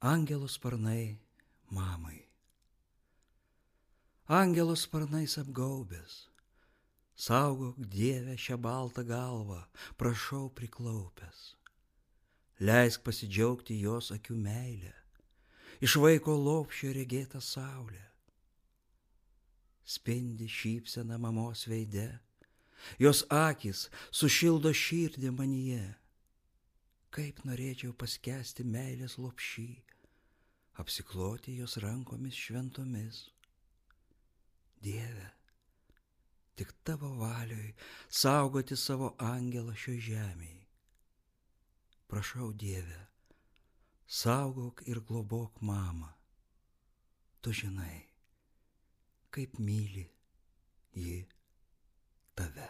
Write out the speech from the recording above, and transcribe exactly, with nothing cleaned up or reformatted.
Angelo sparnai mamai. Angelo sparnais apgaubęs, saugok Dieve šią baltą galvą, prašau priklaupęs. Leisk pasidžiaugti jos akių meilę, iš vaiko lopšio regėtą saulę. Spindi šypsena mamos veide, jos akys sušildo širdį manyje. Kaip norėčiau paskęsti meilės lopšy, apsikloti jos rankomis šventomis. Dieve, tik tavo valioj saugoti savo angelą šioj žemėj. Prašau, Dieve, saugok ir globok mamą. Tu žinai, kaip myli ji tave.